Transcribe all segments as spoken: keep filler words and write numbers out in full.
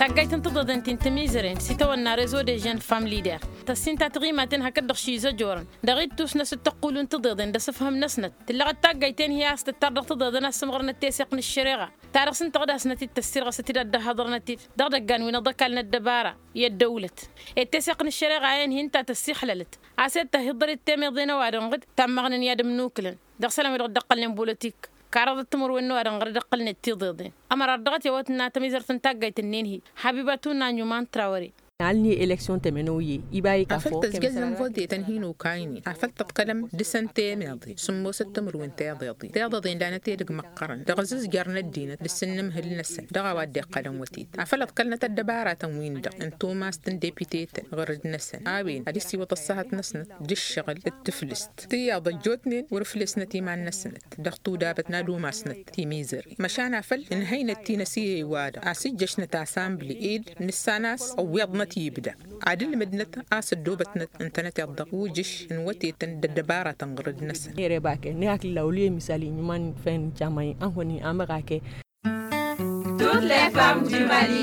Taggayt n-tiḍeḍen ti n-timizăren s-itawănna rezo de jeune femme lider tăssin ta tiɣimaten hakd-dăɣ šizăjorăn dăɣ-ittus n-asǝttăqqulu n-tiḍeḍen d-asǝfhǝm-năsnăt tǝllăɣăt taggayt-en hi-a-s tǝttar dăɣ-tiḍeḍen a-s ǝmɣărnăt teseɣt n-ǝššăreɣa ta dăɣ-s ǝnta ɣǝd-asnăt-dd tăssirɣăsăt-dd ad-dd-ăhhăḍărnăt-dd dăɣ-idăggan wi n-aḍăkal n-ăddăbara i-ăddăwlăt. Ed teseɣt n-ǝššăreɣa-en-hi ǝnta tăssixlălăt a-s ed tăhiḍărăt temăḍe n-ăwadǝm ɣǝd tammăɣnen i-ad-ǝmnuklăn dăɣ-isălan-wi-dăɣ dd-ăqqălnen bolotik. Karăḍăt timǝrwen n-ăwadǝm ɣǝr-dd-ăqqălnen tiḍeḍen ămărar dăɣ-t i-awăt n-ad-tămizărt n-taggayt-ǝnnin-hi. Habibatu n-aɲuman trawăre. Alni eleksyon temănoyye iba i-kafo. Afăl tăzjăzăn vote-tăn hin-okaynen afăl tǝḍkălăm dăɣ-săn temeḍe sǝmmosăt timǝrwen teḍeḍen teḍeḍen lanăt edăgg măqqărăn dăɣ-azǝzjăr n-ăddinăt d-asǝnnǝmhǝl-năsăn dăɣ-a-wa dd-iqqălăn wătet afăl ăḍkălnăt ăddăbaratăn-win-dăɣ n-tumast n-depitetăn ɣur-dd-năsăn a-wen ad-dd-siwǝḍ ăṣṣăhăt-năsnăt d-ǝššăɣǝl d-tǝflǝst tiyyăḍ ăjjootnen wăr-ǝflesnăt iman-năsnăt dăɣ-tudabăt n-ad-umasnăt timizăre măšan afăl ǝnhăynăt tinăsiye-wa-dăɣ a-s ǝjjăšnăt asambli ed nǝssan a-s ăwwiḍnăt ibda ad-ǝlmǝdnăt a-s ăddoobătnăt ǝntănăteḍ dăɣ-ujǝš n-wătetăn d-ăddăbaratăn ɣur-dd-năsăn. Ere bake ni hakla wăl' i-misal inyǝman făyăn n-caman anhăwăn-i amăɣake. Toutes les femmes du mali.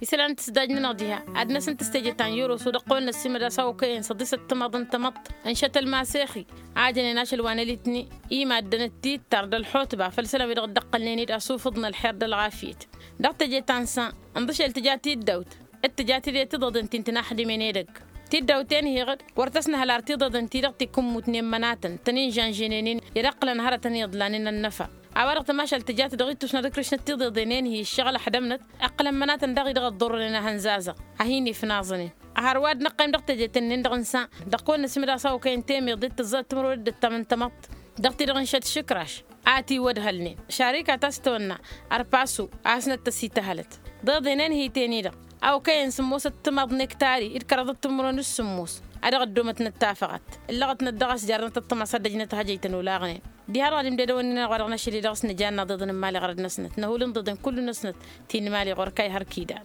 Isălan n-tǝsdaj-nănăɣ diha ad-năsǝntǝs teje ta n-yăroso dăɣ-kăwăn-năssimăd a-s a okăyăn săḍisăt timaḍ n-tamăḍt ǝnšăt ălmasex-i a jănen ašăl wa n-alitni i-maddăn d-tittar d-ălxutba făll-isălan wi-dăɣ dd-ăqqălnen-dd asufuḍ n-ălxer d-ălɣafyăt. Dăɣ-teje ta n-săn ǝnḍǝšel tǝja tiddawt d-tǝja tided tiḍeḍen ti n-tǝnaxdimen edăgg. Tiddawt-en-hi-dăɣ wăr tăsnăhăl ar tiḍeḍen-ti-dăɣ ti kǝmmut n-emmănatăn tăn-in-žănžănen-in i-ad-ăqqǝlăn hărătăn iyyăḍ lanen ănnăfa. A-wa-dăɣ tămašalt tǝja-t dăɣ-ittus n-ad-ǝkrǝšnăt tiḍeḍen-en-hi ǝššăɣǝl ăḥdămnăt ǝqqǝlăn mănatăn daɣ-i dăɣ-ăḍḍurrănen ahănzazăɣ a hin-ifnaẓănen. Hărwa d-năqqăym dăɣ-teje-ten-nin-dăɣ n-sa dăɣ-kăwăn-năsimǝd a-s a okăyăn temeḍe d-tǝzzăḍ timǝrwen d-ǝttam n-tamăḍt dăɣ-ti-dăɣ n-šăt šǝkraš a ătiwădhălnen šarika ta s-tăwănna ărpasu a hasnăt-tăsităhălăt. Ḍeḍen-en hi-ten-i-dăɣ a okăyăn sǝmmosăt timaḍ n-ektari d-kăraḍăt timǝrwen d-sǝmmos a dăɣ-ăddomătnăt tafăɣat ǝllăɣătnăt dăɣ-a-s jarnăt ăṭṭăma s-ad-ăjnăt hajăy-tăn olaɣnen. Diha-dăɣ ad-imdădăwăn-in-anăɣ wa dăɣ-năšăl-i dăɣ-s nǝjanna ḍeḍăn n-imali ɣărăt-năsnăt năhul n-ḍeḍen kullu-năsnăt ti n-imali ɣur-kayhăr kidal.